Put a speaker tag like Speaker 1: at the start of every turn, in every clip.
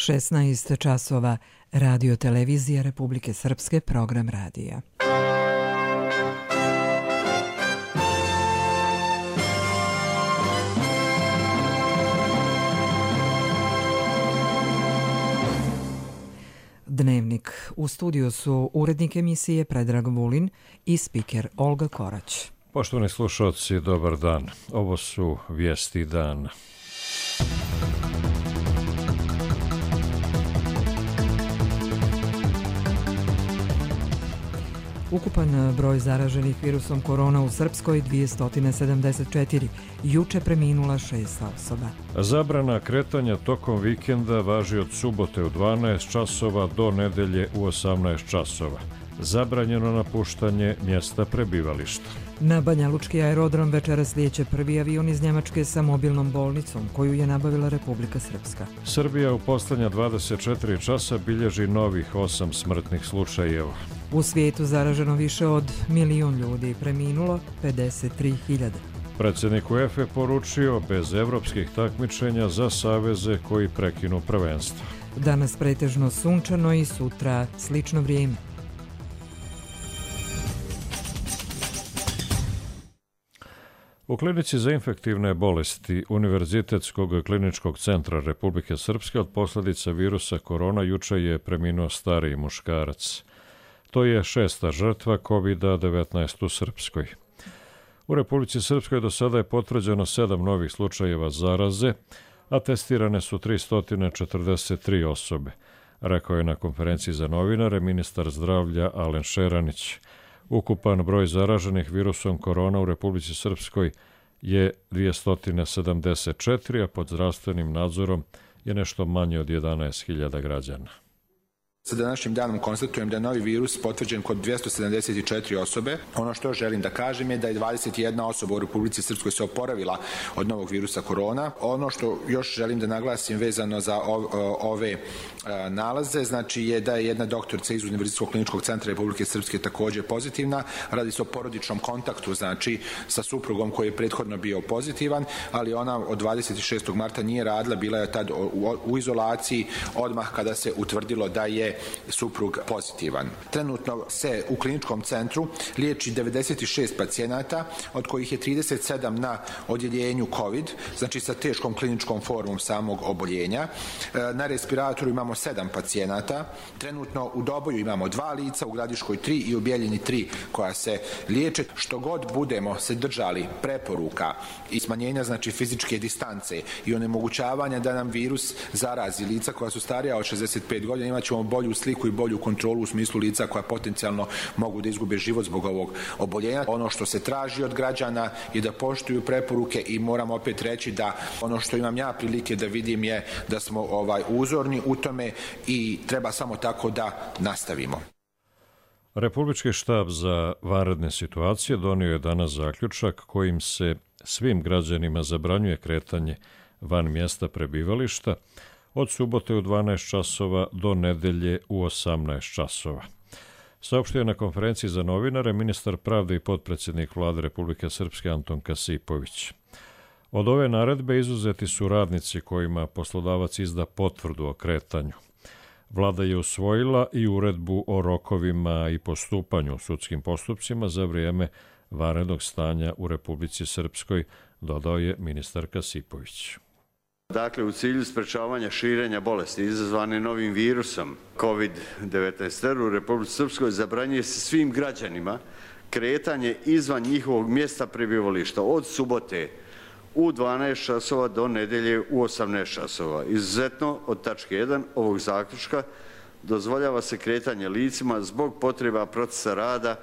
Speaker 1: 16 časova, Radio Televizija Republike Srpske, program radija. Dnevnik. U studiju su urednik emisije Predrag Vulin i spiker Olga Korać.
Speaker 2: Poštovani slušalci, dobar dan. Ovo su vijesti dana.
Speaker 1: Ukupan broj zaraženih virusom korona u Srpskoj 274. Juče preminula 6 osoba.
Speaker 2: Zabrana kretanja tokom vikenda važi od subote u 12 časova do nedelje u 18 časova. Zabranjeno napuštanje mjesta prebivališta.
Speaker 1: Na Banjalučki aerodrom večeras lijeće prvi avion iz Njemačke sa mobilnom bolnicom koju je nabavila Republika Srpska.
Speaker 2: Srbija u posljednja 24 časa bilježi novih 8 smrtnih slučajeva.
Speaker 1: U svijetu zaraženo više od 1 milion ljudi, preminulo 53.000.
Speaker 2: Predsjednik UEFA poručio bez evropskih takmičenja za saveze koji prekinu prvenstvo.
Speaker 1: Danas pretežno sunčano i sutra slično vrijeme.
Speaker 2: U klinici za infektivne bolesti Univerzitetskog kliničkog centra Republike Srpske od posljedica virusa korona juče je preminuo stariji muškarac. To je 6. žrtva COVID-19 u Srpskoj. U Republici Srpskoj do sada je potvrđeno 7 novih slučajeva zaraze, a testirane su 343 osobe, rekao je na konferenciji za novinare ministar zdravlja Alen Šeranić. Ukupan broj zaraženih virusom korona u Republici Srpskoj je 274, a pod zdravstvenim nadzorom je nešto manje od 11.000 građana.
Speaker 3: Sa današnjim danom konstatujem da je novi virus potvrđen kod 274 osobe. Ono što želim da kažem je da je 21 osoba u Republici Srpskoj se oporavila od novog virusa korona. Ono što još želim da naglasim vezano za ove nalaze, znači je da je jedna doktorica iz Univerzitetskog kliničkog centra Republike Srpske također pozitivna. Radi se o porodičnom kontaktu, znači sa suprugom koji je prethodno bio pozitivan, ali ona od 26. marta nije radila, bila je tad u izolaciji odmah kada se utvrdilo da je suprug pozitivan. Trenutno se u kliničkom centru liječi 96 pacijenata, od kojih je 37 na odjeljenju COVID, znači sa teškom kliničkom formom samog oboljenja. Na respiratoru imamo 7 pacijenata. Trenutno u Doboju imamo 2 lica, u Gradiškoj 3 i u Bjeljini 3 koja se liječe. Što god budemo se držali preporuka i smanjenja znači fizičke distance i onemogućavanja da nam virus zarazi lica koja su starija od 65 godina, imat ćemo bolju sliku i bolju kontrolu u smislu lica koja potencijalno mogu da izgube život zbog ovog oboljenja. Ono što se traži od građana je da poštuju preporuke i moram opet reći da ono što imam ja prilike da vidim je da smo uzorni u tome i treba samo tako da nastavimo.
Speaker 2: Republički štab za vanredne situacije donio je danas zaključak kojim se svim građanima zabranjuje kretanje van mjesta prebivališta od subote u 12 časova do nedelje u 18 časova. Saopštio je na konferenciji za novinare ministar pravde i potpredsjednik Vlade Republike Srpske Anton Kasipović. Od ove naredbe izuzeti su radnici kojima poslodavac izda potvrdu o kretanju. Vlada je usvojila i uredbu o rokovima i postupanju u sudskim postupcima za vrijeme vanrednog stanja u Republici Srpskoj, dodao je ministar Kasipović.
Speaker 4: Dakle, u cilju sprečavanja širenja bolesti izazvane novim virusom COVID-19 u Republici Srpskoj zabranjuje se svim građanima kretanje izvan njihovog mjesta prebivališta od subote u 12 časova do nedelje u 18 časova. Izuzetno od tačke 1 ovog zaključka dozvoljava se kretanje licima zbog potreba procesa rada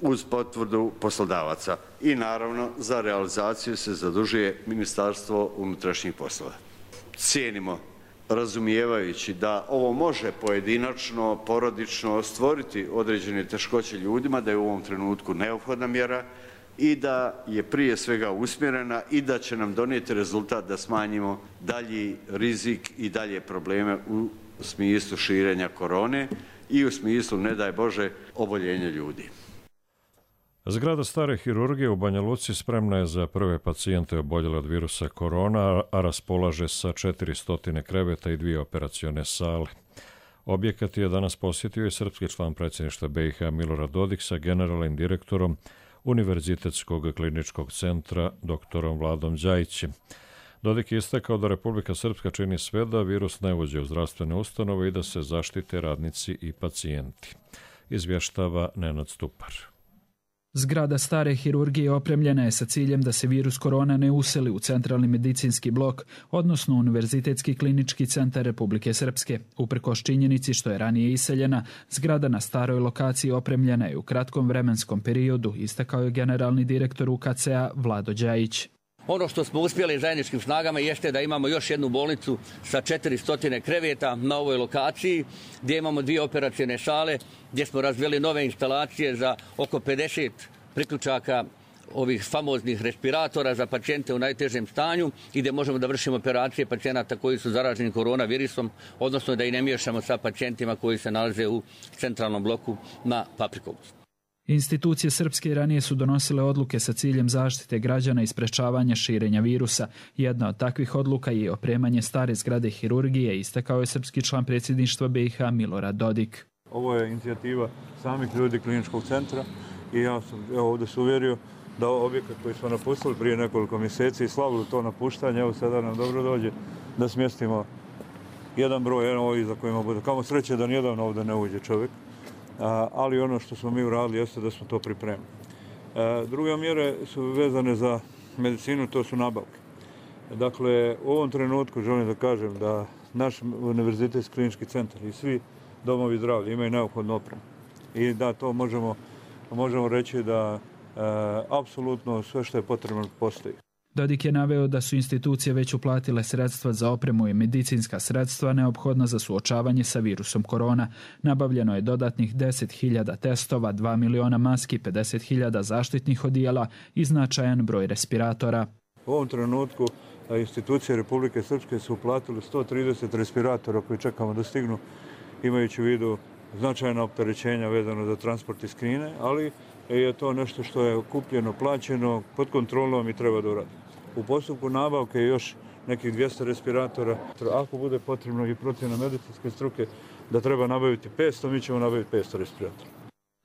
Speaker 4: uz potvrdu poslodavaca i naravno za realizaciju se zadužuje Ministarstvo unutrašnjih poslova. Cijenimo, razumijevajući da ovo može pojedinačno, porodično stvoriti određene teškoće ljudima, da je u ovom trenutku neophodna mjera i da je prije svega usmjerena i da će nam donijeti rezultat da smanjimo dalji rizik i dalje probleme u smislu širenja korone i u smislu, ne daj Bože, oboljenja ljudi.
Speaker 2: Zgrada stare hirurgije u Banja Luci spremna je za prve pacijente oboljele od virusa korona, a raspolaže sa 400 kreveta i 2 operacione sale. Objekat je danas posjetio i srpski član predsjedništva BiH Milorad Dodik sa generalnim direktorom Univerzitetskog kliničkog centra doktorom Vladom Đajićem. Dodik je istakao da Republika Srpska čini sve da virus ne uđe u zdravstvene ustanove i da se zaštite radnici i pacijenti. Izvještava Nenad Stupar.
Speaker 5: Zgrada stare hirurgije opremljena je sa ciljem da se virus korona ne useli u centralni medicinski blok, odnosno Univerzitetski klinički centar Republike Srpske. Uprkos činjenici što je ranije iseljena, zgrada na staroj lokaciji opremljena je u kratkom vremenskom periodu, istakao je generalni direktor UKC-a Vlado Đajić.
Speaker 6: Ono što smo uspjeli zajedničkim snagama jeste da imamo još jednu bolnicu sa 400 kreveta na ovoj lokaciji, gdje imamo 2 operacione sale, gdje smo razvili nove instalacije za oko 50 priključaka ovih famoznih respiratora za pacijente u najtežem stanju i gdje možemo da vršimo operacije pacijenata koji su zaraženi koronavirusom, odnosno da i ne miješamo sa pacijentima koji se nalaze u centralnom bloku na Paprikovcu.
Speaker 5: Institucije srpske ranije su donosile odluke sa ciljem zaštite građana i sprečavanja širenja virusa. Jedna od takvih odluka je opremanje stare zgrade hirurgije, istakao je srpski član predsjedništva BiH Milorad Dodik.
Speaker 7: Ovo je inicijativa samih ljudi kliničkog centra i ja sam ovdje se uvjerio da objekat koji smo napustili prije nekoliko mjeseci i slavili to napuštanje, evo sada nam dobro dođe da smjestimo jedan broj, jedan ovih za kojima bude. Kamo sreće da nijedan ovdje ne uđe čovjek. Ali ono što smo mi uradili jeste da smo to pripremili. Druge mjere su vezane za medicinu, to su nabavke. Dakle, u ovom trenutku želim da kažem da naš Univerzitetski klinički centar i svi domovi zdravlja imaju neophodnu opremu. I da to možemo reći da apsolutno sve što je potrebno postoji.
Speaker 5: Dodik je naveo da su institucije već uplatile sredstva za opremu i medicinska sredstva neophodna za suočavanje sa virusom korona. Nabavljeno je dodatnih 10.000 testova, 2 miliona maski, 50.000 zaštitnih odijela i značajan broj respiratora.
Speaker 7: U ovom trenutku institucije Republike Srpske su uplatili 130 respiratora koji čekamo da stignu, imajući u vidu značajna opterećenja vezano za transport iz Kine, ali je to nešto što je kupljeno, plaćeno, pod kontrolom i treba da uradi. U postupku nabavke je još nekih 200 respiratora. Ako bude potrebno i procjena medicinske struke da treba nabaviti 500, mi ćemo nabaviti 500 respiratora.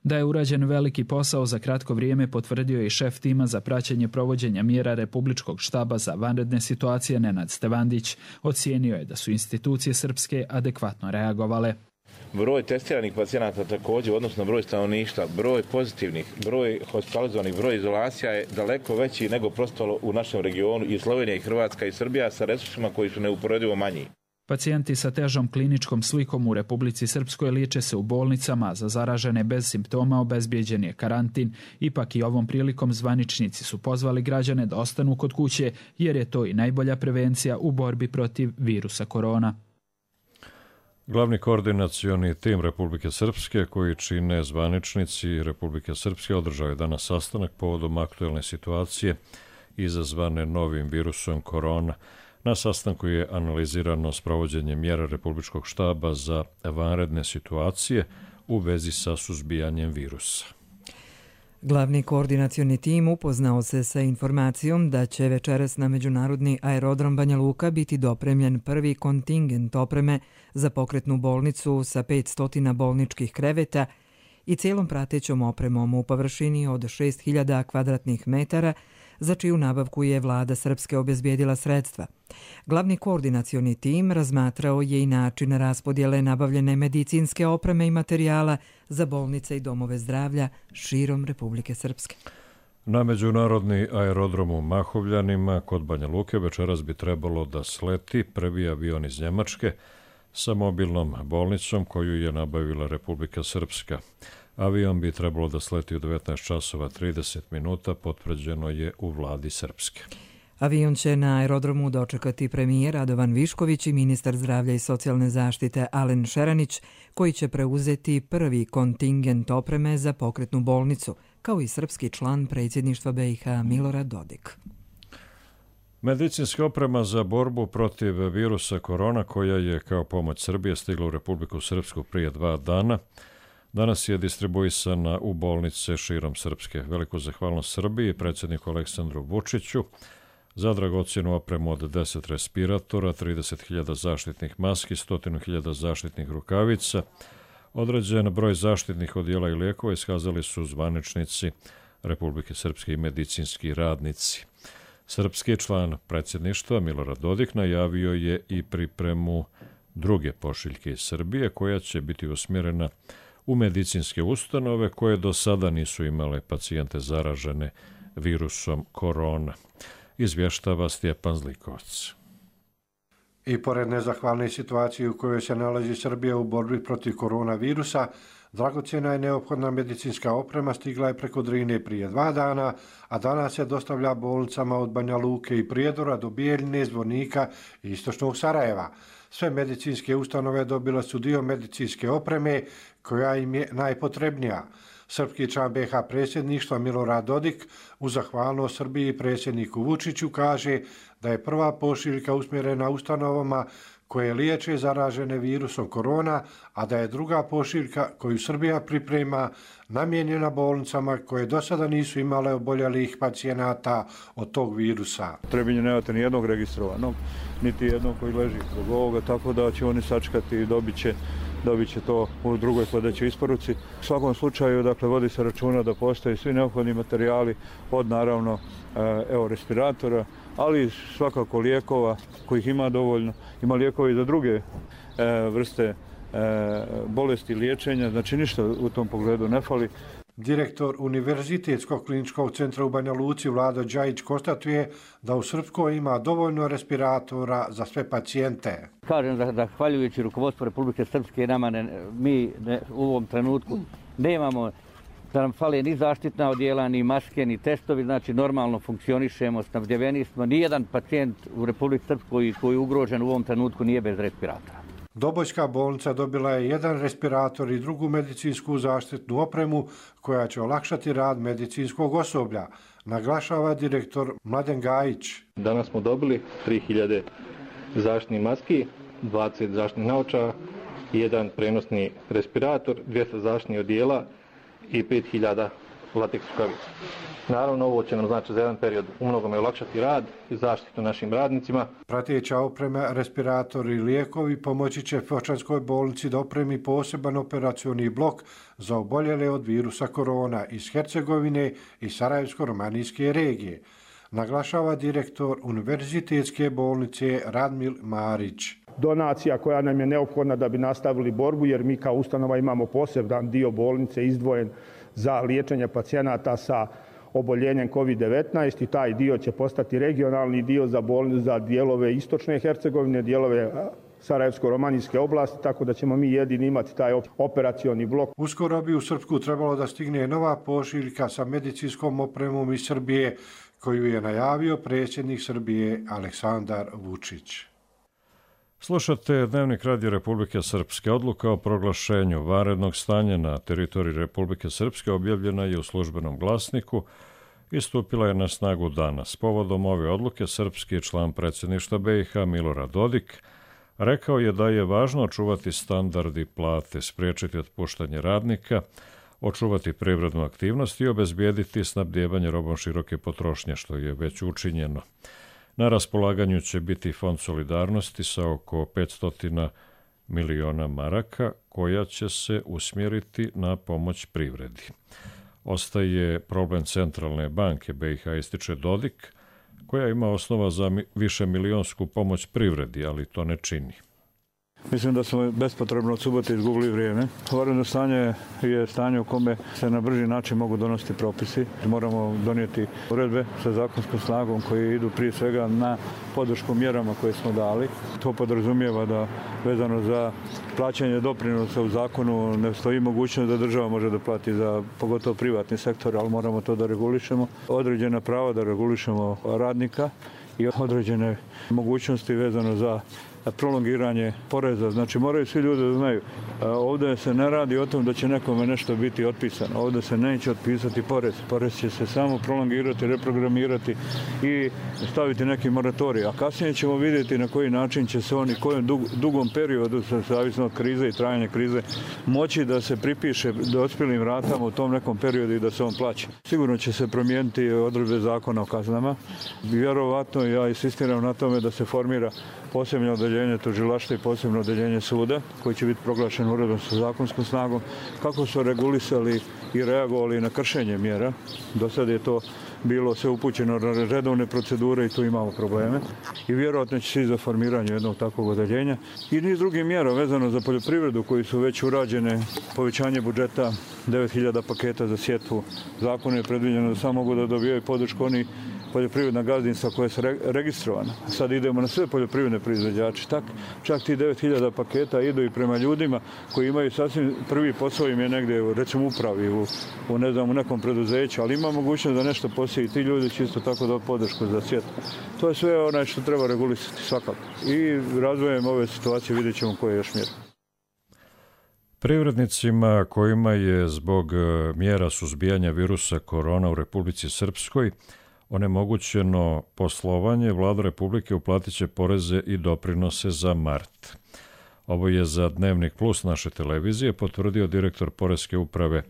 Speaker 5: Da je urađen veliki posao za kratko vrijeme potvrdio je i šef tima za praćenje provođenja mjera Republičkog štaba za vanredne situacije Nenad Stevandić. Ocijenio je da su institucije srpske adekvatno reagovale.
Speaker 8: Broj testiranih pacijenata također, odnosno broj stanovništva, broj pozitivnih, broj hospitalizovanih, broj izolacija je daleko veći nego prosto u našem regionu i Slovenija i Hrvatska i Srbija sa resursima koji su neuporedivo manji.
Speaker 5: Pacijenti sa težom kliničkom slikom u Republici Srpskoj liječe se u bolnicama, za zaražene bez simptoma obezbijeđen je karantin. Ipak i ovom prilikom zvaničnici su pozvali građane da ostanu kod kuće jer je to i najbolja prevencija u borbi protiv virusa korona.
Speaker 2: Glavni koordinacioni tim Republike Srpske, koji čine zvaničnici Republike Srpske, održao je danas sastanak povodom aktuelne situacije izazvane novim virusom korona. Na sastanku je analizirano sprovođenje mjera Republičkog štaba za vanredne situacije u vezi sa suzbijanjem virusa.
Speaker 1: Glavni koordinacioni tim upoznao se sa informacijom da će večeras na međunarodni aerodrom Banja Luka biti dopremljen prvi kontingent opreme za pokretnu bolnicu sa 500 bolničkih kreveta i cijelom pratećom opremom u površini od 6.000 kvadratnih metara, za čiju nabavku je vlada Srpske obezbijedila sredstva. Glavni koordinacioni tim razmatrao je i način raspodjele nabavljene medicinske opreme i materijala za bolnice i domove zdravlja širom Republike Srpske.
Speaker 2: Na međunarodni aerodrom u Mahovljanima kod Banja Luke večeras bi trebalo da sleti prvi avion iz Njemačke sa mobilnom bolnicom koju je nabavila Republika Srpska. Avion bi trebalo da sleti u 19 časova 30 minuta, potvrđeno je u vladi Srpske.
Speaker 1: Avion će na aerodromu dočekati premijer Radovan Višković i ministar zdravlja i socijalne zaštite Alen Šeranić, koji će preuzeti prvi kontingent opreme za pokretnu bolnicu, kao i srpski član predsjedništva BiH Milorad Dodik.
Speaker 2: Medicinska oprema za borbu protiv virusa korona, koja je kao pomoć Srbije stigla u Republiku Srpsku prije 2 dana, danas je distribuisana u bolnice širom Srpske. Veliku zahvalnost Srbiji, predsjedniku Aleksandru Vučiću, za dragocjenu opremu od 10 respiratora, 30.000 zaštitnih maski, 100.000 zaštitnih rukavica. Određen broj zaštitnih odjela i lijekova iskazali su zvaničnici Republike Srpske i medicinski radnici. Srpski član predsjedništva Milorad Dodik najavio je i pripremu druge pošiljke iz Srbije koja će biti usmjerena u medicinske ustanove koje do sada nisu imale pacijente zaražene virusom korona. Izvještava Stjepan Zlikovac.
Speaker 9: I pored nezahvalne situacije u kojoj se nalazi Srbija u borbi protiv koronavirusa, dragocjena i neophodna medicinska oprema stigla je preko Drine prije 2 dana, a danas se dostavlja bolnicama od Banja Luke i Prijedora do Bijeljine, Zvornika i istočnog Sarajeva. Sve medicinske ustanove dobile su dio medicinske opreme koja im je najpotrebnija. Srpski član BiH predsjedništva Milorad Dodik u zahvalnost Srbiji i predsjedniku Vučiću kaže da je prva pošiljka usmjerena ustanovama koje liječe zaražene virusom korona, a da je druga pošiljka koju Srbija priprema namijenjena bolnicama koje do sada nisu imale oboljelih pacijenata od tog virusa.
Speaker 7: Trebinje nemate ni jednog registrovanog, niti jednog koji leži zbog ovoga, tako da će oni sačekati i dobit će to u drugoj sljedećoj isporuci. U svakom slučaju, dakle, vodi se računa da postoje svi neophodni materijali od naravno respiratora, ali svakako lijekova kojih ima dovoljno. Ima lijekovi za druge vrste bolesti liječenja, znači ništa u tom pogledu ne fali.
Speaker 9: Direktor Univerzitetskog kliničkog centra u Banja Luci Vlado Đajić konstatuje da u Srpskoj ima dovoljno respiratora za sve pacijente.
Speaker 6: Kažem da zahvaljujući rukovodstvu Republike Srpske mi u ovom trenutku nemamo da nam fale ni zaštitna odjela, ni maske, ni testovi, znači normalno funkcionišemo, snabdjeveni smo. Nijedan pacijent u Republike Srpskoj koji je ugrožen u ovom trenutku nije bez respiratora.
Speaker 9: Dobojska bolnica dobila je 1 respirator i drugu medicinsku zaštitnu opremu koja će olakšati rad medicinskog osoblja, naglašava direktor Mladen Gajić.
Speaker 10: Danas smo dobili 3000 zaštitnih maski, 20 zaštitnih naočara, 1 prenosni respirator, 200 zaštitnih odjela i 5000 lateks rukavica. Naravno, ovo će nam znači za jedan period umnogome olakšati rad i zaštitu našim radnicima.
Speaker 9: Prateća oprema, respiratori i lijekovi pomoći će Fočanskoj bolnici da opremi poseban operacioni blok za oboljele od virusa korona iz Hercegovine i Sarajevsko-romanijske regije, naglašava direktor Univerzitetske bolnice Radmil Marić.
Speaker 11: Donacija koja nam je neophodna da bi nastavili borbu, jer mi kao ustanova imamo poseban dio bolnice izdvojen za liječenje pacijenata sa oboljenjem COVID-19 i taj dio će postati regionalni dio za dijelove istočne Hercegovine, dijelove Sarajevsko-romanijske oblasti, tako da ćemo mi jedini imati taj operacioni blok.
Speaker 9: Uskoro bi u Srpsku trebalo da stigne nova pošiljka sa medicinskom opremom iz Srbije, koju je najavio predsjednik Srbije Aleksandar Vučić.
Speaker 2: Slušate Dnevnik Radio Republike Srpske. Odluka o proglašenju vanrednog stanja na teritoriji Republike Srpske objavljena je u službenom glasniku i stupila je na snagu danas. Povodom ove odluke srpski član predsjedništva BiH Milorad Dodik rekao je da je važno očuvati standard i plate, spriječiti otpuštanje radnika, očuvati privrednu aktivnost i obezbijediti snabdijevanje robom široke potrošnje, što je već učinjeno. Na raspolaganju će biti fond solidarnosti sa oko 500 miliona maraka koja će se usmjeriti na pomoć privredi. Ostaje problem Centralne banke BiH, ističe Dodik, koja ima osnova za višemilijonsku pomoć privredi, ali to ne čini.
Speaker 7: Mislim da smo bespotrebno od subote izgubili vrijeme. Vanredno stanje je stanje u kome se na brži način mogu donositi propisi. Moramo donijeti uredbe sa zakonskom snagom koje idu prije svega na podršku mjerama koje smo dali. To podrazumijeva da vezano za plaćanje doprinosa u zakonu ne stoji mogućnost da država može da plati za pogotovo privatni sektor, ali moramo to da regulišemo. Određena prava da regulišemo radnika i određene mogućnosti vezano za prolongiranje poreza. Znači moraju svi ljudi da znaju, ovdje se ne radi o tom da će nekome nešto biti otpisano, ovdje se neće otpisati porez. Porez će se samo prolongirati, reprogramirati i staviti neki moratorij. A kasnije ćemo vidjeti na koji način će se oni kojem dugom periodu, zavisno od krize i trajanja krize, moći da se pripiše dospjelim ratama u tom nekom periodu i da se on plaća. Sigurno će se promijeniti odredbe zakona o kaznama. Vjerovatno ja insistiram na tome da se formira posebno odeljenje tužilaštva i posebno odeljenje suda koji će biti proglašen uredbom sa zakonskom snagom, kako su regulisali i reagovali na kršenje mjera. Do sada je to bilo sve upućeno na redovne procedure i tu imamo probleme. I vjerojatno će se i za formiranje jednog takvog odeljenja. I niz drugih mjera vezano za poljoprivredu koji su već urađene, povećanje budžeta, 9000 paketa za sjetvu. Zakon je predviđeno da samo mogu da dobijaju podršku oni poljoprivredna gazdinstva koja su registrovana. Sad idemo na sve poljoprivredne proizvođače. Čak ti 9000 paketa idu i prema ljudima koji imaju sasvim prvi posao im je negdje, recimo upravi, u nekom preduzeću, ali ima mogućnost da nešto posije i ti ljudi će isto tako dobiti podršku za sjetvu. To je sve onaj što treba regulisati svakako. I razvojem ove situacije vidjet ćemo koje još mjere.
Speaker 2: Privrednicima kojima je zbog mjera suzbijanja virusa korona u Republici Srpskoj onemogućeno poslovanje, Vlada Republike uplatit će poreze i doprinose za mart. Ovo je za Dnevnik Plus naše televizije potvrdio direktor Poreske uprave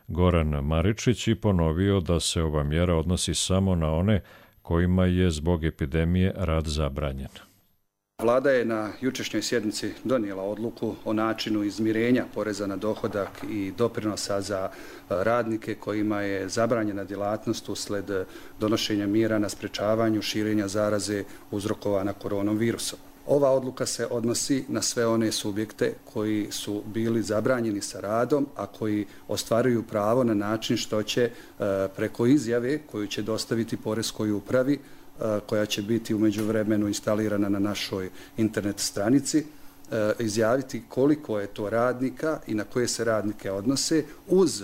Speaker 2: Goran Maričić i ponovio da se ova mjera odnosi samo na one kojima je zbog epidemije rad zabranjen.
Speaker 12: Vlada je na jučerašnjoj sjednici donijela odluku o načinu izmirenja poreza na dohodak i doprinosa za radnike kojima je zabranjena djelatnost usled donošenja mjera na sprečavanju širenja zaraze uzrokovana koronavirusom. Ova odluka se odnosi na sve one subjekte koji su bili zabranjeni sa radom, a koji ostvaruju pravo na način što će preko izjave koju će dostaviti Poreskoj upravi, koja će biti u međuvremenu instalirana na našoj internet stranici, izjaviti koliko je to radnika i na koje se radnike odnose uz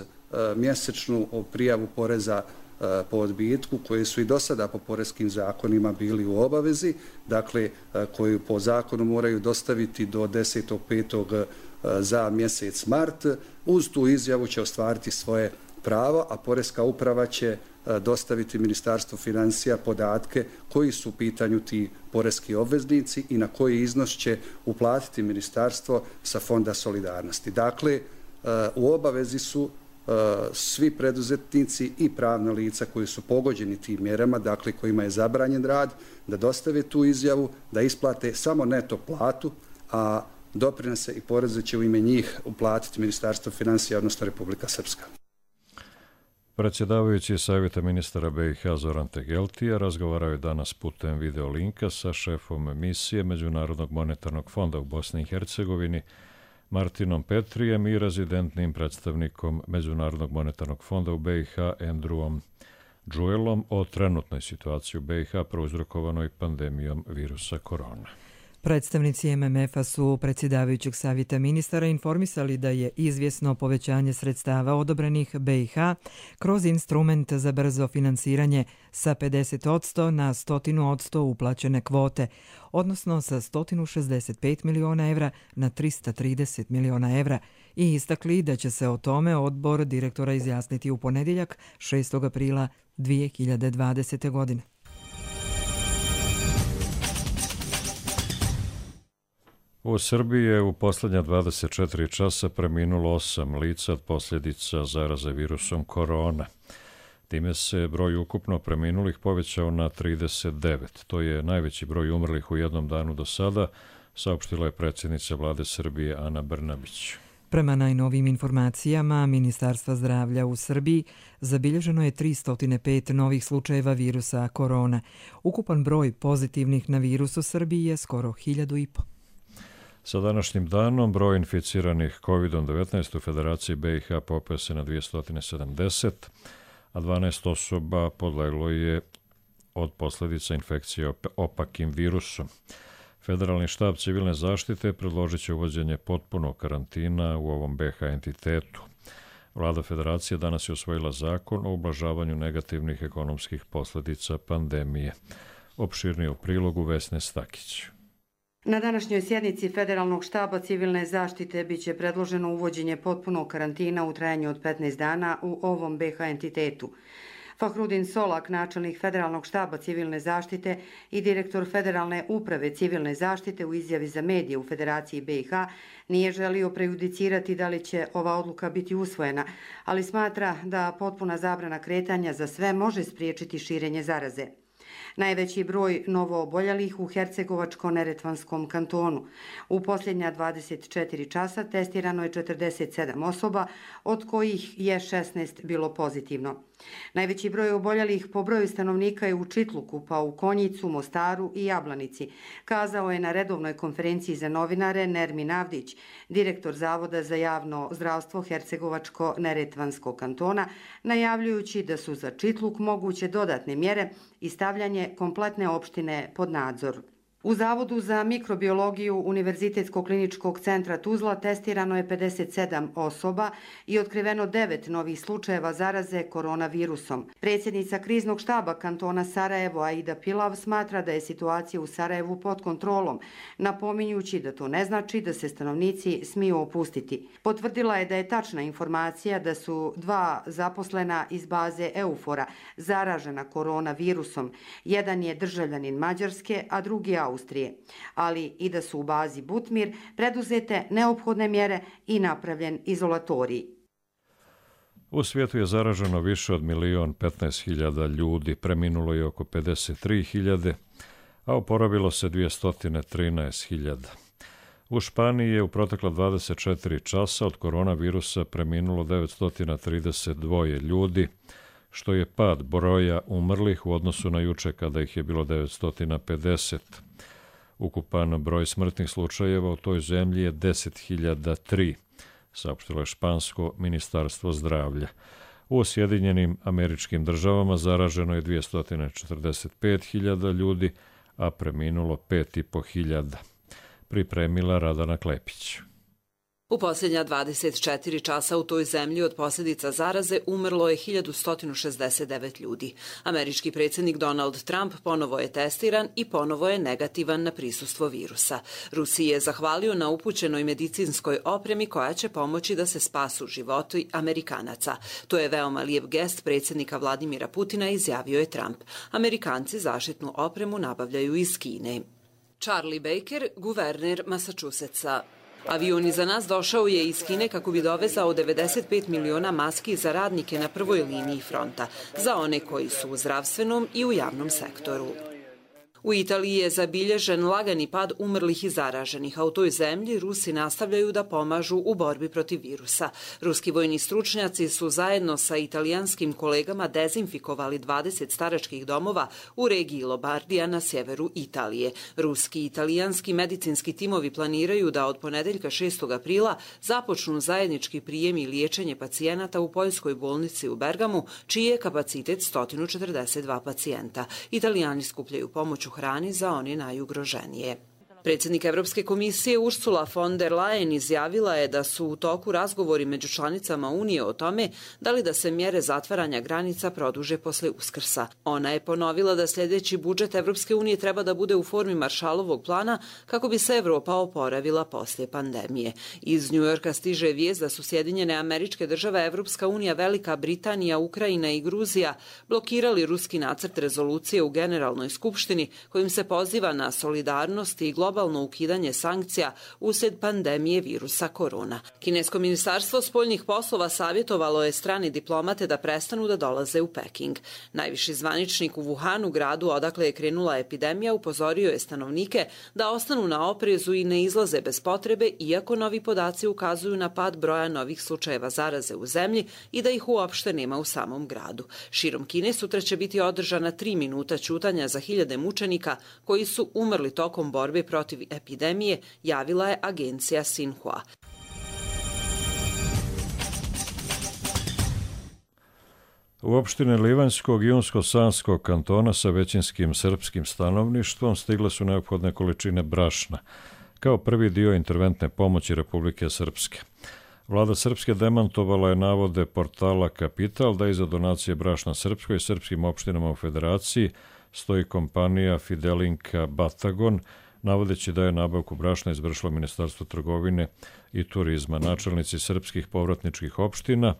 Speaker 12: mjesečnu prijavu poreza po odbitku koje su i do sada po poreskim zakonima bili u obavezi, dakle koju po zakonu moraju dostaviti do 10.5. za mjesec mart. Uz tu izjavu će ostvariti svoje pravo, a Poreska uprava će dostaviti Ministarstvu financija podatke koji su u pitanju ti poreski obveznici i na koji iznos će uplatiti Ministarstvo sa Fonda solidarnosti. Dakle, u obavezi su svi preduzetnici i pravna lica koji su pogođeni tim mjerama, dakle kojima je zabranjen rad, da dostave tu izjavu, da isplate samo neto platu, a doprinose i poreze će u ime njih uplatiti Ministarstvo financija, odnosno Republika Srpska.
Speaker 2: Predsjedavajući Savjeta ministara BiH Zoran Tegeltija razgovarao je danas putem videolinka sa šefom misije Međunarodnog monetarnog fonda u Bosni i Hercegovini Martinom Petrijem i rezidentnim predstavnikom Međunarodnog monetarnog fonda u BiH Andrewom Džuelom o trenutnoj situaciji u BiH prouzrokovanoj pandemijom virusa korona.
Speaker 1: Predstavnici MMF-a su predsjedavajućeg savjeta ministara informisali da je izvjesno povećanje sredstava odobrenih BiH kroz instrument za brzo finansiranje sa 50% na 100% uplaćene kvote, odnosno sa 165 miliona evra na 330 miliona evra i istakli da će se o tome odbor direktora izjasniti u ponedjeljak 6. aprila 2020. godine.
Speaker 2: U Srbiji je u posljednja 24 časa preminulo 8 lica od posljedica zaraze virusom korona. Time se broj ukupno preminulih povećao na 39. To je najveći broj umrlih u jednom danu do sada, saopštila je predsjednica Vlade Srbije Ana Brnabić.
Speaker 1: Prema najnovijim informacijama Ministarstva zdravlja u Srbiji zabilježeno je 305 novih slučajeva virusa korona. Ukupan broj pozitivnih na virus u Srbiji je skoro 1000.
Speaker 2: Sa današnjim danom broj inficiranih COVID-19 u Federaciji BiH popeo se na 270, a 12 osoba podleglo je od posljedica infekcije opakim virusom. Federalni štab civilne zaštite predložit će uvođenje potpunog karantina u ovom BiH entitetu. Vlada Federacije danas je usvojila zakon o ublažavanju negativnih ekonomskih posljedica pandemije. Opširnije u prilogu Vesne Stakić.
Speaker 13: Na današnjoj sjednici Federalnog štaba civilne zaštite biće predloženo uvođenje potpunog karantina u trajanju od 15 dana u ovom BiH entitetu. Fahrudin Solak, načelnik Federalnog štaba civilne zaštite i direktor Federalne uprave civilne zaštite u izjavi za medije u Federaciji BiH, nije želio prejudicirati da li će ova odluka biti usvojena, ali smatra da potpuna zabrana kretanja za sve može spriječiti širenje zaraze. Najveći broj novooboljelih u Hercegovačko-Neretvanskom kantonu. U posljednja 24 časa testirano je 47 osoba, od kojih je 16 bilo pozitivno. Najveći broj oboljelih po broju stanovnika je u Čitluku, pa u Konjicu, Mostaru i Jablanici, kazao je na redovnoj konferenciji za novinare Nermin Avdić, direktor Zavoda za javno zdravstvo Hercegovačko-Neretvanskog kantona, najavljujući da su za Čitluk moguće dodatne mjere i stavljanje kompletne opštine pod nadzor. U Zavodu za mikrobiologiju Univerzitetskog kliničkog centra Tuzla testirano je 57 osoba i otkriveno 9 novih slučajeva zaraze koronavirusom. Predsjednica kriznog štaba kantona Sarajevo Aida Pilav smatra da je situacija u Sarajevu pod kontrolom, napominjući da to ne znači da se stanovnici smiju opustiti. Potvrdila je da je tačna informacija da su 2 zaposlena iz baze Eufora zaražena koronavirusom. Jedan je državljanin Mađarske, a drugi Austrije, ali i da su u bazi Butmir preduzete neophodne mjere i napravljen izolatorij.
Speaker 2: U svijetu je zaraženo više od 1.015.000 ljudi, preminulo je oko 53.000, a oporavilo se 213.000. U Španiji je u protekla 24 časa od koronavirusa preminulo 932 ljudi, što je pad broja umrlih u odnosu na juče kada ih je bilo 950. Ukupan broj smrtnih slučajeva u toj zemlji je 10.003, saopštilo je špansko ministarstvo zdravlja. U Sjedinjenim Američkim Državama zaraženo je 245.000 ljudi, a preminulo 5.500. Pripremila Radana Klepić.
Speaker 14: U posljednja 24 časa u toj zemlji od posljedica zaraze umrlo je 1169 ljudi. Američki predsjednik Donald Trump ponovo je testiran i ponovo je negativan na prisustvo virusa. Rusiji je zahvalio na upućenoj medicinskoj opremi koja će pomoći da se spasu životi Amerikanaca. To je veoma lijep gest predsjednika Vladimira Putina, izjavio je Trump. Amerikanci zaštitnu opremu nabavljaju iz Kine. Charlie Baker, guverner Massachusettsa. Avion iza nas došao je iz Kine kako bi dovezao 95 miliona maski za radnike na prvoj liniji fronta, za one koji su u zdravstvenom i u javnom sektoru. U Italiji je zabilježen lagani pad umrlih i zaraženih, a u toj zemlji Rusi nastavljaju da pomažu u borbi protiv virusa. Ruski vojni stručnjaci su zajedno sa italijanskim kolegama dezinfikovali 20 staračkih domova u regiji Lombardija na sjeveru Italije. Ruski i italijanski medicinski timovi planiraju da od ponedeljka 6. aprila započnu zajednički prijem i liječenje pacijenata u poljskoj bolnici u Bergamu, čiji je kapacitet 142 pacijenta. Italijani skupljaju pomoć u hrani za one najugroženije. Predsjednik Evropske komisije Ursula von der Leyen izjavila je da su u toku razgovori među članicama Unije o tome da li da se mjere zatvaranja granica produže posle Uskrsa. Ona je ponovila da sljedeći budžet Evropske unije treba da bude u formi Marshallovog plana kako bi se Evropa oporavila poslije pandemije. Iz Njujorka stiže vijest da su Sjedinjene Američke Države, Evropska unija, Velika Britanija, Ukrajina i Gruzija blokirali ruski nacrt rezolucije u Generalnoj skupštini kojim se poziva na solidarnost i globalno ukidanje sankcija uslijed pandemije virusa korona. Kinesko ministarstvo spoljnih poslova savjetovalo je strani diplomate da prestanu da dolaze u Peking. Najviši zvaničnik u Wuhanu, gradu odakle je krenula epidemija, upozorio je stanovnike da ostanu na oprezu i ne izlaze bez potrebe, iako novi podaci ukazuju na pad broja novih slučajeva zaraze u zemlji i da ih uopšte nema u samom gradu. Širom Kine sutra će biti održana 3 minuta ćutanja za hiljade mučenika koji su umrli tokom borbe protiv epidemije, javila je agencija Xinhua.
Speaker 2: U opštine Livanjskog i Unsko-Sanskog kantona sa većinskim srpskim stanovništvom stigle su neophodne količine brašna, kao prvi dio interventne pomoći Republike Srpske. Vlada Srpske demantovala je navode portala Kapital da iza donacije brašna Srpskoj i srpskim opštinama u Federaciji stoji kompanija Fidelinka Batagon, navodeći da je nabavku brašna izvršilo Ministarstvo trgovine i turizma. Načelnici srpskih povratničkih opština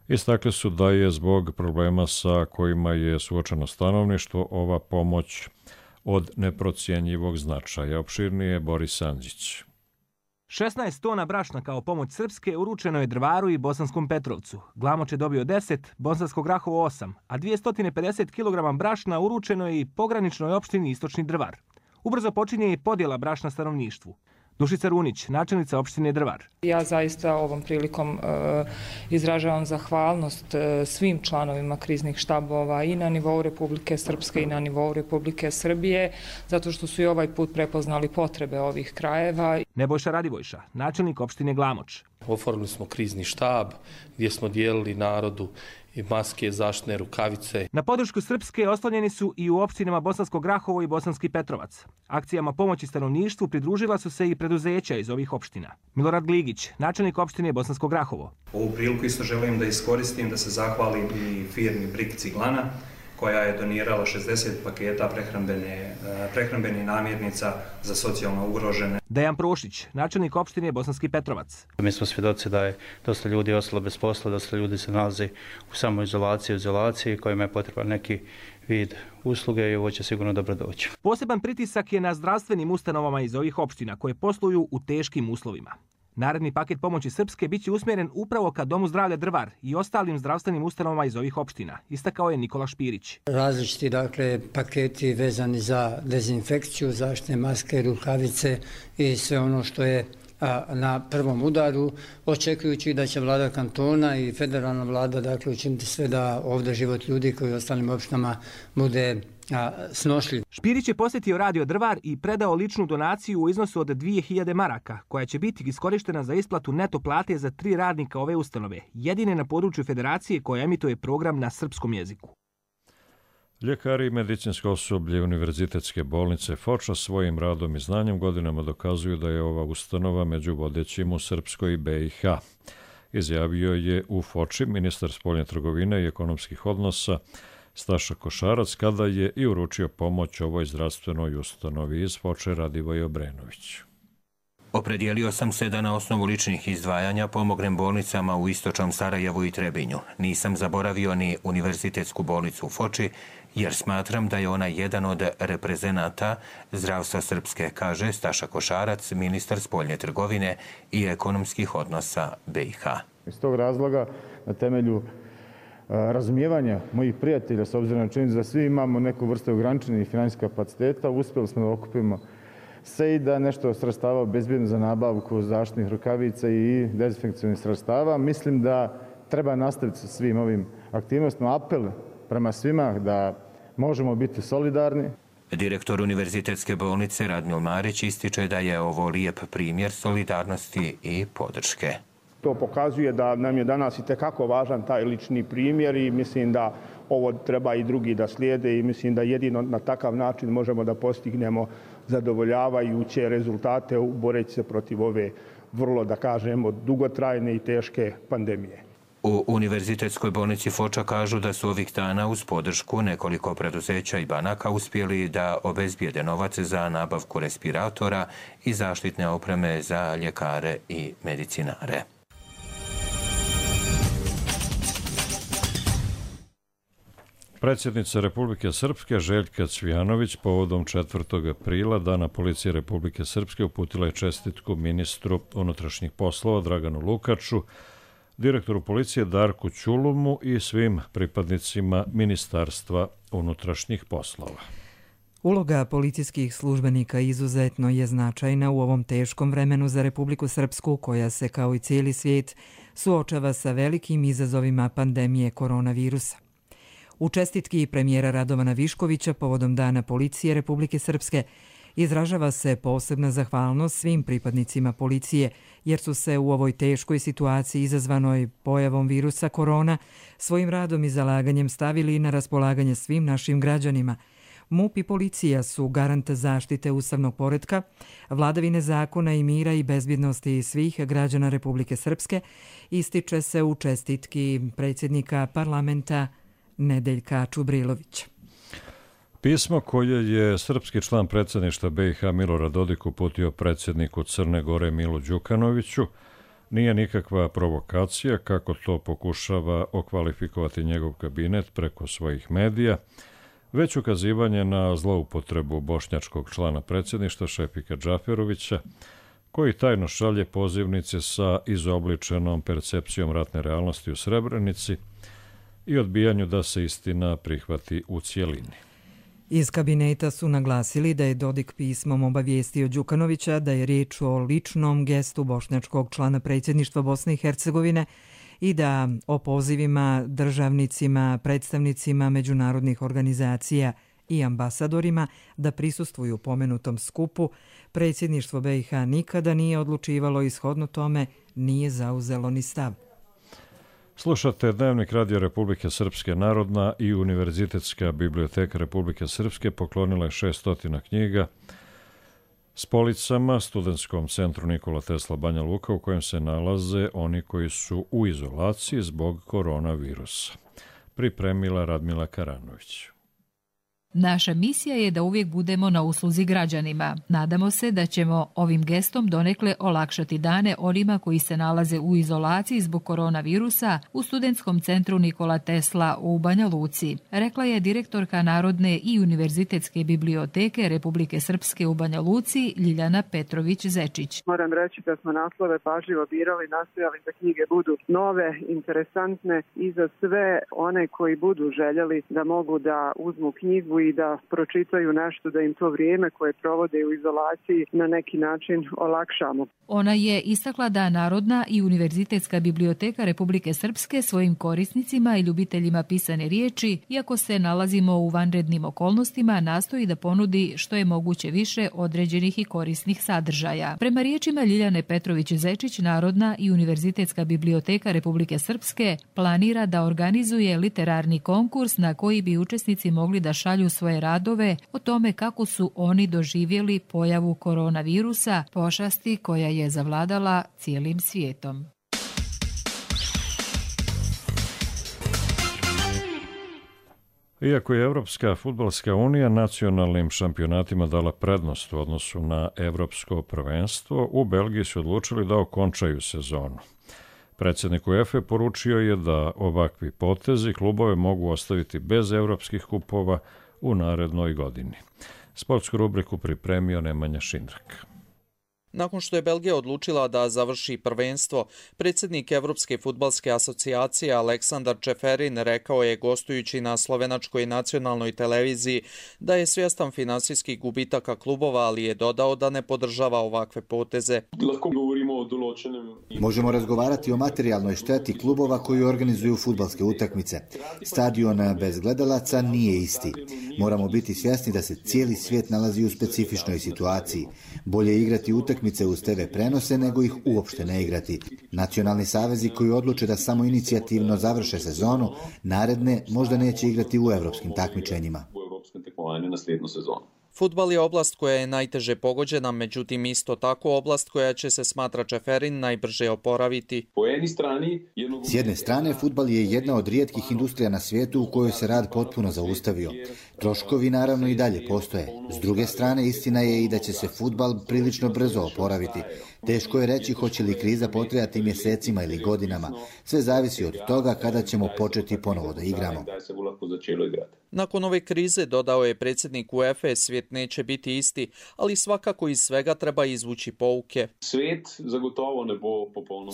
Speaker 2: istakli su da je zbog problema sa kojima je suočeno stanovništvo ova pomoć od neprocijenjivog značaja. Opširnije Boris Andžić.
Speaker 15: 16 tona brašna kao pomoć Srpske uručeno je Drvaru i Bosanskom Petrovcu. Glamoč je dobio 10, Bosansko Grahovo 8, a 250 kg brašna uručeno je i pograničnoj opštini Istočni Drvar. Ubrzo počinje i podjela brašna stanovništvu. Dušica Runić, načelnica opštine Drvar.
Speaker 16: Ja zaista ovom prilikom izražavam zahvalnost svim članovima kriznih štabova i na nivou Republike Srpske i na nivou Republike Srbije, zato što su i ovaj put prepoznali potrebe ovih krajeva.
Speaker 15: Nebojša Radivojša, načelnik opštine Glamoč.
Speaker 17: Oformili smo krizni štab gdje smo dijelili narodu i maske, zaštitne rukavice.
Speaker 15: Na podršku Srpske oslonjeni su i u opštinama Bosansko Grahovo i Bosanski Petrovac. Akcijama pomoći stanovništvu pridružila su se i preduzeća iz ovih opština. Milorad Gligić, načelnik opštine Bosansko Grahovo.
Speaker 18: Ovu priliku isto želim da iskoristim da se zahvalim i firmi Brik Ciglana, koja je donirala 60 paketa prehrambenih namirnica za socijalno ugrožene.
Speaker 15: Dejan Prošić, načelnik opštine Bosanski Petrovac.
Speaker 19: Mi smo svjedoci da je dosta ljudi ostalo bez posla, dosta ljudi se nalazi u samoizolaciji, kojima je potreban neki vid usluge i ovo će sigurno dobro doći.
Speaker 15: Poseban pritisak je na zdravstvenim ustanovama iz ovih opština koje posluju u teškim uslovima. Naredni paket pomoći Srpske biće usmjeren upravo ka Domu zdravlja Drvar i ostalim zdravstvenim ustanovama iz ovih opština, istakao je Nikola Špirić.
Speaker 20: Različiti paketi vezani za dezinfekciju, zaštitne maske, rukavice i sve ono što je na prvom udaru, očekujući da će vlada kantona i federalna vlada učiniti sve da ovdje život ljudi koji u ostalim opštinama bude snošljiv.
Speaker 15: Špirić je posjetio Radio Drvar i predao ličnu donaciju u iznosu od 2000 maraka, koja će biti iskorištena za isplatu neto plate za 3 radnika ove ustanove, jedine na području federacije koja emituje program na srpskom jeziku.
Speaker 2: Ljekari i medicinsko osoblje Univerzitetske bolnice Foča svojim radom i znanjem godinama dokazuju da je ova ustanova među vodećim u Srpskoj i BiH. Izjavio je u Foči ministar spoljne trgovine i ekonomskih odnosa Staša Košarac kada je i uručio pomoć ovoj zdravstvenoj ustanovi. Iz Foče Radivoj Obrenović.
Speaker 21: Opredijelio sam se da na osnovu ličnih izdvajanja pomognem bolnicama u istočnom Sarajevu i Trebinju. Nisam zaboravio ni Univerzitetsku bolnicu u Foči, jer smatram da je ona jedan od reprezenata zdravstva Srpske, kaže Staša Košarac, ministar spoljne trgovine i ekonomskih odnosa BiH.
Speaker 22: Iz tog razloga, na temelju razumijevanja mojih prijatelja, s obzirom na činjenicu da svi imamo neku vrstu ograničenih financijskih kapaciteta, uspjeli smo da okupimo se i da nešto sredstava obezbjedimo za nabavku zaštitnih rukavica i dezinfekcijnih sredstava. Mislim da treba nastaviti sa svim ovim aktivnostima. Apel prema svima da možemo biti solidarni.
Speaker 21: Direktor Univerzitetske bolnice Radmil Marić ističe da je ovo lijep primjer solidarnosti i podrške.
Speaker 11: To pokazuje da nam je danas i tekako važan taj lični primjer i mislim da ovo treba i drugi da slijede i mislim da jedino na takav način možemo da postignemo zadovoljavajuće rezultate boreći se protiv ove vrlo, da kažemo, dugotrajne i teške pandemije.
Speaker 21: U Univerzitetskoj bolnici Foča kažu da su ovih dana uz podršku nekoliko preduzeća i banaka uspjeli da obezbijede novac za nabavku respiratora i zaštitne opreme za ljekare i medicinare.
Speaker 2: Predsjednica Republike Srpske Željka Cvijanović povodom 4. aprila Dana policije Republike Srpske uputila je čestitku ministru unutrašnjih poslova Draganu Lukaču, direktoru policije Darku Ćulumu i svim pripadnicima Ministarstva unutrašnjih poslova.
Speaker 1: Uloga policijskih službenika izuzetno je značajna u ovom teškom vremenu za Republiku Srpsku, koja se kao i cijeli svijet suočava sa velikim izazovima pandemije koronavirusa. U čestitki premijera Radovana Viškovića povodom Dana policije Republike Srpske izražava se posebna zahvalnost svim pripadnicima policije, jer su se u ovoj teškoj situaciji izazvanoj pojavom virusa korona svojim radom i zalaganjem stavili na raspolaganje svim našim građanima. MUP i policija su garant zaštite ustavnog poretka, vladavine zakona i mira i bezbjednosti svih građana Republike Srpske, ističe se u čestitki predsjednika parlamenta Nedeljka Čubrilovića.
Speaker 2: Pismo koje je srpski član predsjedništva BiH Milorad Dodik uputio predsjedniku Crne Gore Milu Đukanoviću nije nikakva provokacija, kako to pokušava okvalifikovati njegov kabinet preko svojih medija, već ukazivanje na zloupotrebu bošnjačkog člana predsjedništva Šefika Džaferovića, koji tajno šalje pozivnice sa izobličenom percepcijom ratne realnosti u Srebrenici i odbijanju da se istina prihvati u cijelini.
Speaker 1: Iz kabineta su naglasili da je Dodik pismom obavijestio Đukanovića da je riječ o ličnom gestu bošnjačkog člana predsjedništva Bosne i Hercegovine i da o pozivima državnicima, predstavnicima međunarodnih organizacija i ambasadorima da prisustvuju pomenutom skupu predsjedništvo BiH nikada nije odlučivalo i shodno tome nije zauzelo ni stav.
Speaker 2: Slušate Dnevnik Radio Republike Srpske. Narodna i Univerzitetska biblioteka Republike Srpske poklonila je 600 knjiga s policama Studentskom centru Nikola Tesla Banja Luka, u kojem se nalaze oni koji su u izolaciji zbog koronavirusa. Pripremila Radmila Karanović.
Speaker 3: Naša misija je da uvijek budemo na usluzi građanima. Nadamo se da ćemo ovim gestom donekle olakšati dane onima koji se nalaze u izolaciji zbog koronavirusa u Studentskom centru Nikola Tesla u Banja Luci, rekla je direktorka Narodne i Univerzitetske biblioteke Republike Srpske u Banja Luci Ljiljana Petrović-Zečić.
Speaker 4: Moram reći da smo naslove pažljivo birali, nastojali da knjige budu nove, interesantne i za sve one koji budu željeli da mogu da uzmu knjigu i da pročitaju nešto, da im to vrijeme koje provode u izolaciji na neki način olakšamo.
Speaker 3: Ona je istakla da Narodna i Univerzitetska biblioteka Republike Srpske svojim korisnicima i ljubiteljima pisane riječi, iako se nalazimo u vanrednim okolnostima, nastoji da ponudi što je moguće više određenih i korisnih sadržaja. Prema riječima Ljiljane Petrović-Zečić, Narodna i Univerzitetska biblioteka Republike Srpske planira da organizuje literarni konkurs na koji bi učesnici mogli da šalju svoje radove o tome kako su oni doživjeli pojavu koronavirusa, pošasti koja je zavladala cijelim svijetom.
Speaker 2: Iako je Evropska fudbalska unija nacionalnim šampionatima dala prednost u odnosu na evropsko prvenstvo, u Belgiji su odlučili da okončaju sezonu. Predsjednik UEFA poručio je da ovakvi potezi klubove mogu ostaviti bez evropskih kupova u narednoj godini. Sportsku rubriku pripremio Nemanja Šindrak.
Speaker 23: Nakon što je Belgija odlučila da završi prvenstvo, predsjednik Evropske fudbalske asocijacije Aleksandar Čeferin rekao je gostujući na slovenačkoj nacionalnoj televiziji da je svjestan finansijskih gubitaka klubova, ali je dodao da ne podržava ovakve poteze.
Speaker 24: Možemo razgovarati o materijalnoj šteti klubova koji organizuju fudbalske utakmice. Stadion bez gledalaca nije isti. Moramo biti svjesni da se cijeli svijet nalazi u specifičnoj situaciji. Bolje igrati utakmice uz TV prenose nego ih uopšte ne igrati. Nacionalni savezi koji odluče da samo inicijativno završe sezonu, naredne možda neće igrati u evropskim takmičenjima.
Speaker 23: Fudbal je oblast koja je najteže pogođena, međutim isto tako oblast koja će se, smatra Čeferin, najbrže oporaviti.
Speaker 24: S jedne strane, fudbal je jedna od rijetkih industrija na svijetu u kojoj se rad potpuno zaustavio. Troškovi naravno i dalje postoje. S druge strane, istina je i da će se fudbal prilično brzo oporaviti. Teško je reći hoće li kriza potrajati mjesecima ili godinama. Sve zavisi od toga kada ćemo početi ponovo da igramo.
Speaker 23: Nakon ove krize, dodao je predsjednik UEFA, svijet neće biti isti, ali svakako iz svega treba izvući pouke.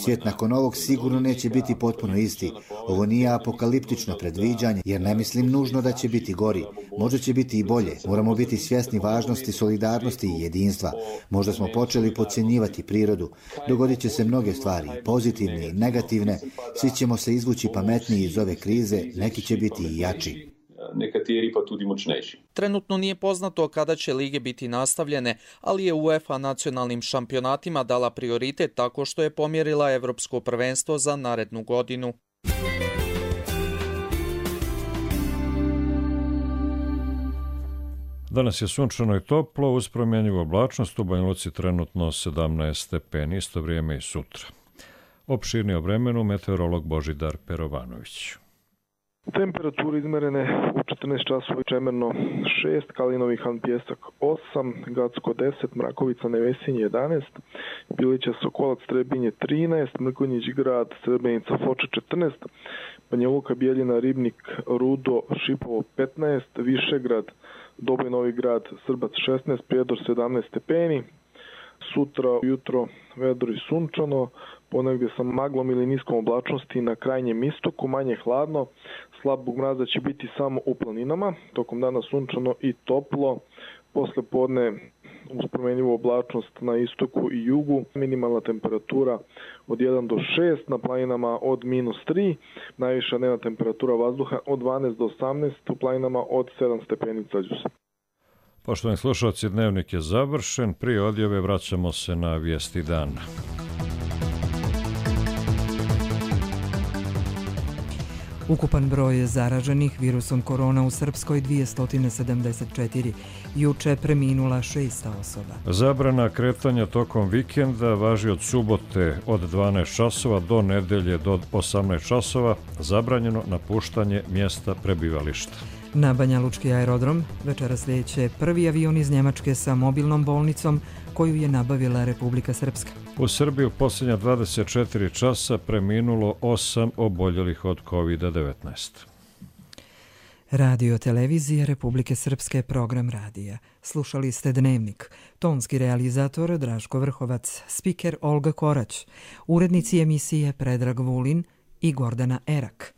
Speaker 24: Svijet nakon ovog sigurno neće biti potpuno isti. Ovo nije apokaliptično predviđanje, jer ne mislim nužno da će biti gori. Možda će biti i bolje. Moramo biti svjesni važnosti, solidarnosti i jedinstva. Možda smo počeli podcjenjivati prirodu. Dogodit će se mnoge stvari, pozitivne i negativne. Svi ćemo se izvući pametniji iz ove krize, neki će biti i jači.
Speaker 23: Nekateri pa tudi močnejši. Trenutno nije poznato kada će lige biti nastavljene, ali je UEFA nacionalnim šampionatima dala prioritet tako što je pomjerila evropsko prvenstvo za narednu godinu.
Speaker 2: Danas je sunčano i toplo, uz promjenjivu oblačnost, u Banja Luci trenutno 17 stepeni, isto vrijeme i sutra. Opširnije o vremenu meteorolog Božidar Perovanović.
Speaker 5: Temperature izmerene u 14 časova Čemerno 6, Kalinovi Han Pjesak 8, Gacko 10, Mrakovica Nevesinje 11, Bilića Sokolac Trebinje 13, Mrkonjić Grad Srebrenica Foča 14, Banja Luka Bijeljina Ribnik Rudo Šipovo 15, Višegrad Doboj Novi Grad Srbac 16, Prijedor 17 stepeni. Sutra jutro vedro i sunčano, ponegdje sa maglom ili niskom oblačnosti na krajnjem istoku, manje hladno, slabog mraza će biti samo u planinama, tokom dana sunčano i toplo, posle podne uz promjenjivu oblačnost na istoku i jugu, minimalna temperatura od 1 do 6, na planinama od -3, najviša dnevna temperatura vazduha od 12 do 18, u planinama od 7 stepeni Celzijusa.
Speaker 2: Poštovani slušalci, dnevnik je završen. Prije odjave vraćamo se na vijesti dana.
Speaker 1: Ukupan broj zaraženih virusom korona u Srpskoj 274. Juče preminula 600 osoba.
Speaker 2: Zabrana kretanja tokom vikenda važi od subote od 12 časova do nedelje do 18 časova. Zabranjeno napuštanje mjesta prebivališta.
Speaker 1: Na Banja Lučki aerodrom večeras slijeće prvi avion iz Njemačke sa mobilnom bolnicom koju je nabavila Republika Srpska.
Speaker 2: U Srbiji u posljednja 24 časa preminulo 8 oboljelih od COVID-19.
Speaker 1: Radio televizija Republike Srpske, program radija. Slušali ste Dnevnik. Tonski realizator Draško Vrhovac, spiker Olga Korać, urednici emisije Predrag Vulin i Gordana Erak.